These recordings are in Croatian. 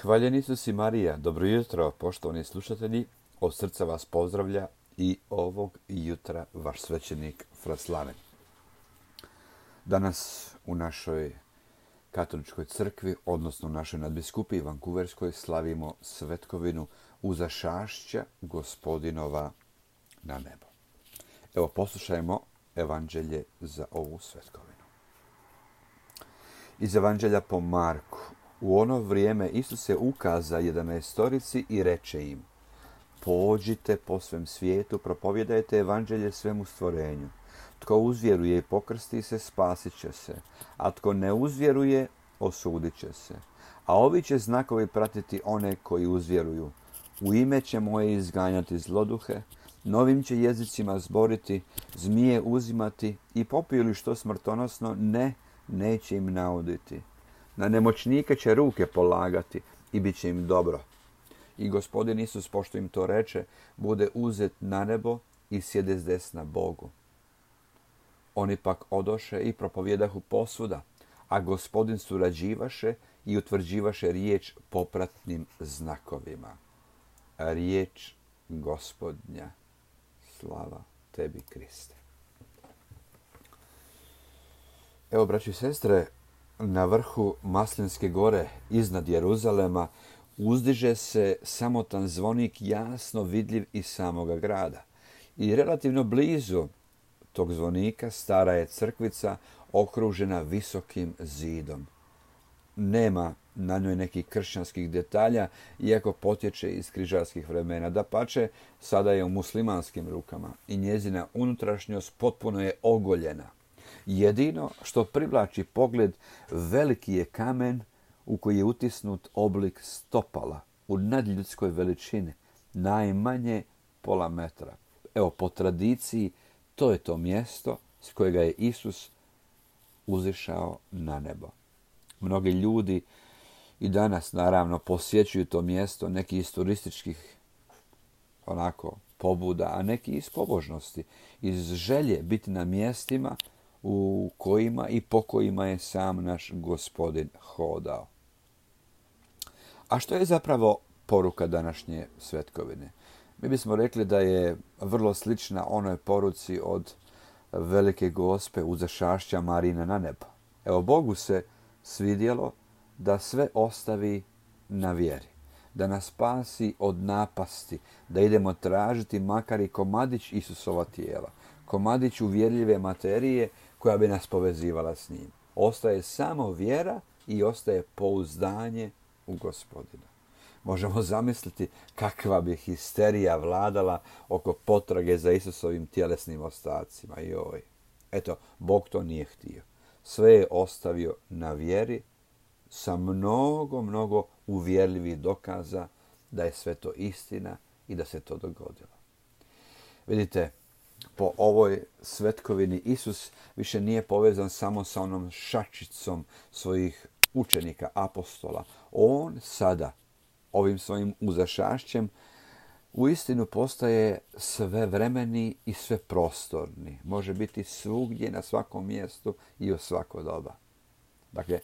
Hvaljen Isus i Marija, dobro jutro, poštovani slušatelji, od srca vas pozdravlja i ovog jutra vaš svećenik Fraslaven. Danas u našoj katoličkoj crkvi, odnosno u našoj nadbiskupiji Vankuverskoj, slavimo svetkovinu uzašašća Gospodinova na nebo. Evo, poslušajmo evanđelje za ovu svetkovinu. Iz evanđelja po Marku. U ono vrijeme Isus se ukaza 11 i reče im: pođite po svem svijetu, propovjedajte evanđelje svemu stvorenju. Tko uzvjeruje i pokrsti se, spasit će se, a tko ne uzvjeruje, osudit će se. A ovi će znakovi pratiti one koji uzvjeruju. U ime će moje izganjati zloduhe, novim će jezicima zboriti, zmije uzimati i popiju li što smrtonosno, neće im nauditi. Na nemoćnike će ruke polagati i bit će im dobro. I Gospodin Isus, pošto im to reče, bude uzet na nebo i sjede zdesna Bogu. Oni pak odoše i propovjedahu posvuda, a Gospodin surađivaše i utvrđivaše riječ popratnim znakovima. Riječ Gospodnja. Slava tebi, Kriste. Evo, braći i sestre, na vrhu Maslinske gore, iznad Jeruzalema, uzdiže se samotan zvonik, jasno vidljiv iz samoga grada. I relativno blizu tog zvonika stara je crkvica okružena visokim zidom. Nema na njoj nekih kršćanskih detalja, iako potječe iz križarskih vremena. Dapače, sada je u muslimanskim rukama i njezina unutrašnjost potpuno je ogoljena. Jedino što privlači pogled, veliki je kamen u koji je utisnut oblik stopala u nadljudskoj veličini, najmanje pola metra. Evo, po tradiciji, to je to mjesto s kojega je Isus uzišao na nebo. Mnogi ljudi i danas, naravno, posjećuju to mjesto, neki iz turističkih pobuda, a neki iz pobožnosti, iz želje biti na mjestima u kojima i po kojima je sam naš Gospodin hodao. A što je zapravo poruka današnje svetkovine? Mi bismo rekli da je vrlo slična onoj poruci od Velike Gospe uzašašća Marina na nebo. Evo, Bogu se svidjelo da sve ostavi na vjeri, da nas spasi od napasti, da idemo tražiti makar i komadić Isusova tijela, komadić uvjerljive materije koja bi nas povezivala s njim. Ostaje samo vjera i ostaje pouzdanje u Gospodina. Možemo zamisliti kakva bi histerija vladala oko potrage za Isusovim tjelesnim ostacima. Joj. Eto, Bog to nije htio. Sve je ostavio na vjeri sa mnogo uvjerljivih dokaza da je sve to istina i da se to dogodilo. Vidite, po ovoj svetkovini Isus više nije povezan samo sa onom šačicom svojih učenika, apostola. On sada, ovim svojim uzašašćem, uistinu postaje svevremeni i sveprostorni. Može biti svugdje, na svakom mjestu i u svako doba. Dakle,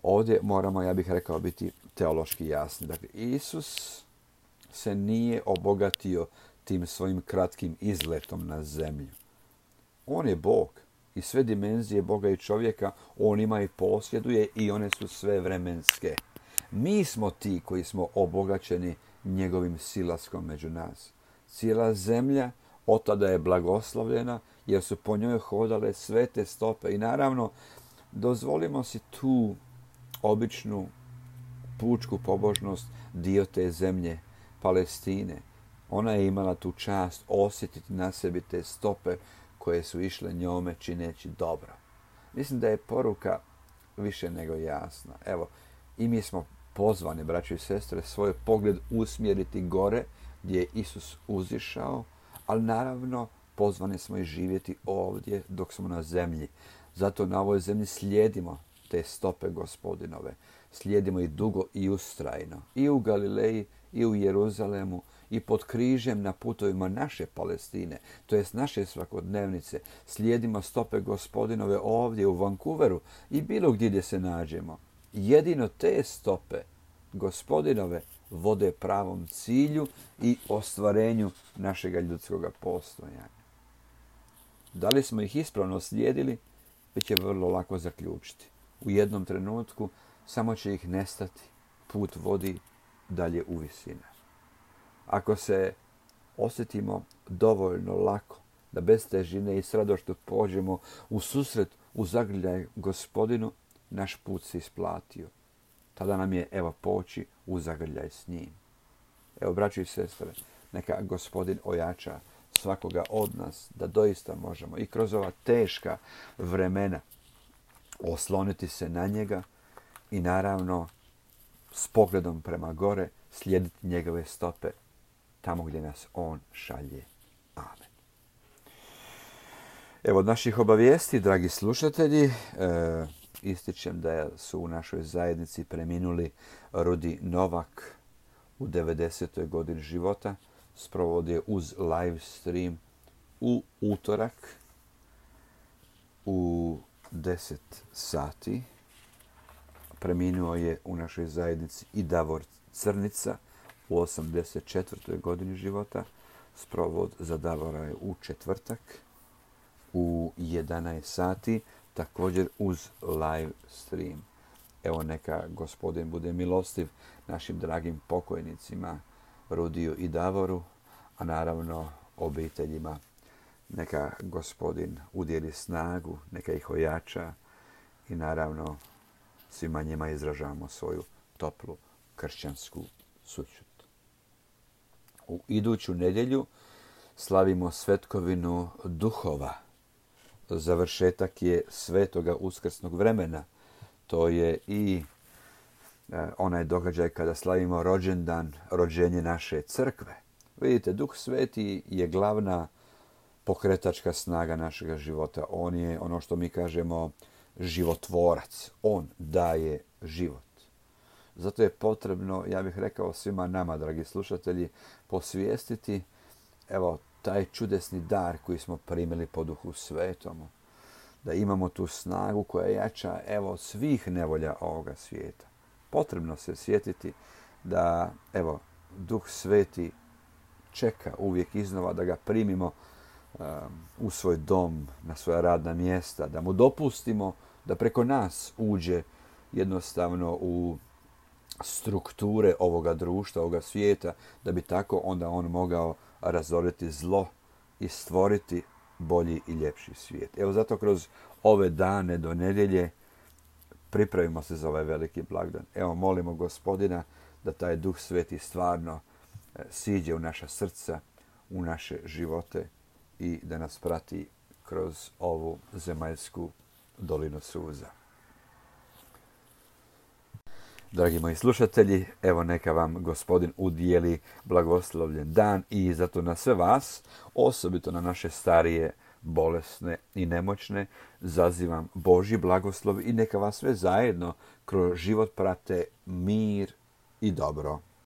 ovdje moramo, ja bih rekao, biti teološki jasni. Dakle, Isus se nije obogatio tim svojim kratkim izletom na zemlju. On je Bog i sve dimenzije Boga i čovjeka on ima i posjeduje i one su sve vremenske. Mi smo ti koji smo obogaćeni njegovim silaskom među nas. Cijela zemlja od tada je blagoslovljena jer su po njoj hodale svete stope. I naravno, dozvolimo si tu običnu pučku pobožnost, dio te zemlje, Palestine. Ona je imala tu čast osjetiti na sebi te stope koje su išle njome čineći dobro. Mislim da je poruka više nego jasna. Evo, i mi smo pozvani, braći i sestre, svoj pogled usmjeriti gore gdje je Isus uzišao, ali naravno pozvani smo i živjeti ovdje dok smo na zemlji. Zato na ovoj zemlji slijedimo te stope Gospodinove. Slijedimo ih dugo i ustrajno. I u Galileji, i u Jeruzalemu, i pod križem na putovima naše Palestine, to jest naše svakodnevnice. Slijedimo stope Gospodinove ovdje u Vankuveru i bilo gdje se nađemo. Jedino te stope Gospodinove vode pravom cilju i ostvarenju našega ljudskoga postojanja. Da li smo ih ispravno slijedili, bit će vrlo lako zaključiti. U jednom trenutku samo će ih nestati, put vodi dalje u visine. Ako se osjetimo dovoljno lako da bez težine i s radošću pođemo u susret, u zagrljaj Gospodinu, naš put se isplatio. Tada nam je, poći u zagrljaj s njim. Braćo i sestre, neka Gospodin ojača svakoga od nas da doista možemo i kroz ova teška vremena osloniti se na njega i naravno s pogledom prema gore slijediti njegove stope tamo gdje nas on šalje. Amen. Od naših obavijesti, dragi slušatelji, ističem da su u našoj zajednici preminuli Rudi Novak u 90. godini života. Sprovodio uz live stream u utorak u 10 sati. Preminuo je u našoj zajednici i Davor Crnica u 84. godini života. Sprovod za Davora je u četvrtak u 11 sati, također uz live stream. Neka Gospodin bude milostiv našim dragim pokojnicima Rudiju i Davoru, a naravno obiteljima. Neka Gospodin udjeli snagu, neka ih ojača i naravno svima njima izražavamo svoju toplu kršćansku sućut. U iduću nedjelju slavimo svetkovinu duhova. Završetak je svetoga uskrsnog vremena. To je i onaj događaj kada slavimo rođendan, rođenje naše crkve. Vidite, Duh Sveti je glavna pokretačka snaga našega života. On je ono što mi kažemo životvorac. On daje život. Zato je potrebno, ja bih rekao svima nama, dragi slušatelji, posvijestiti taj čudesni dar koji smo primili po Duhu Svetomu. Da imamo tu snagu koja je jača svih nevolja ovoga svijeta. Potrebno se sjetiti da Duh Sveti čeka uvijek iznova da ga primimo u svoj dom, na svoja radna mjesta, da mu dopustimo da preko nas uđe jednostavno u strukture ovoga društva, ovoga svijeta, da bi tako onda on mogao razoriti zlo i stvoriti bolji i ljepši svijet. Zato kroz ove dane do nedjelje pripravimo se za ovaj veliki blagdan. Molimo Gospodina da taj Duh Sveti stvarno siđe u naša srca, u naše živote i da nas prati kroz ovu zemaljsku dolinu suza. Dragi moji slušatelji, neka vam Gospodin udijeli blagoslovljen dan i zato na sve vas, osobito na naše starije, bolesne i nemoćne, zazivam Božji blagoslov i neka vas sve zajedno kroz život prate mir i dobro.